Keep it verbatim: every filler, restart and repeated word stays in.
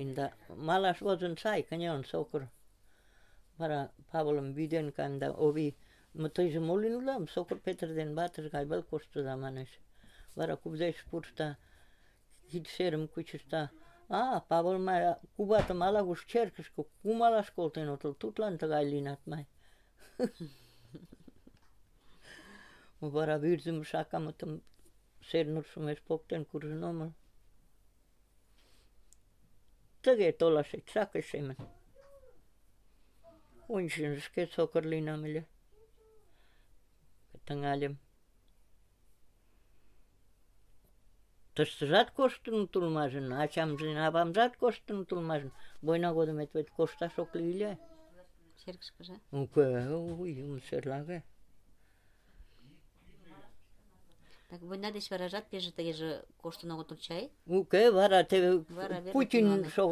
Да малаш возын сай, каньон сокыр. Вара Павлым виден канда ови. Но тыйже мо лийын улам? Сокыр Петр ден ватыже гай вел коштыда манеш. Вара кузе пурта, кидшерым кучышта. А, Павыл май куватым ала-куш черкышке кумалаш колтен отыл, тудлан тыгай лийынат май. Вара вӱрзым шакамытым Сернур шумеш поктен куржын омыл. Тыге толашет сакышемын. Ончын шке сокыр лийынам ыле. Тыҥальым. Тыштыжат коштыныт улмашын, ачамжын, авамжат коштыныт улмашын. Война годымет вет кошташ ок лий ыле. Черкышкыже? Уке, уй, юмсерлаге. Так война деч варажат пеже тыгеже коштын огытыл чай? Уке, вара теве Вара веле Путин тӱҥале. шога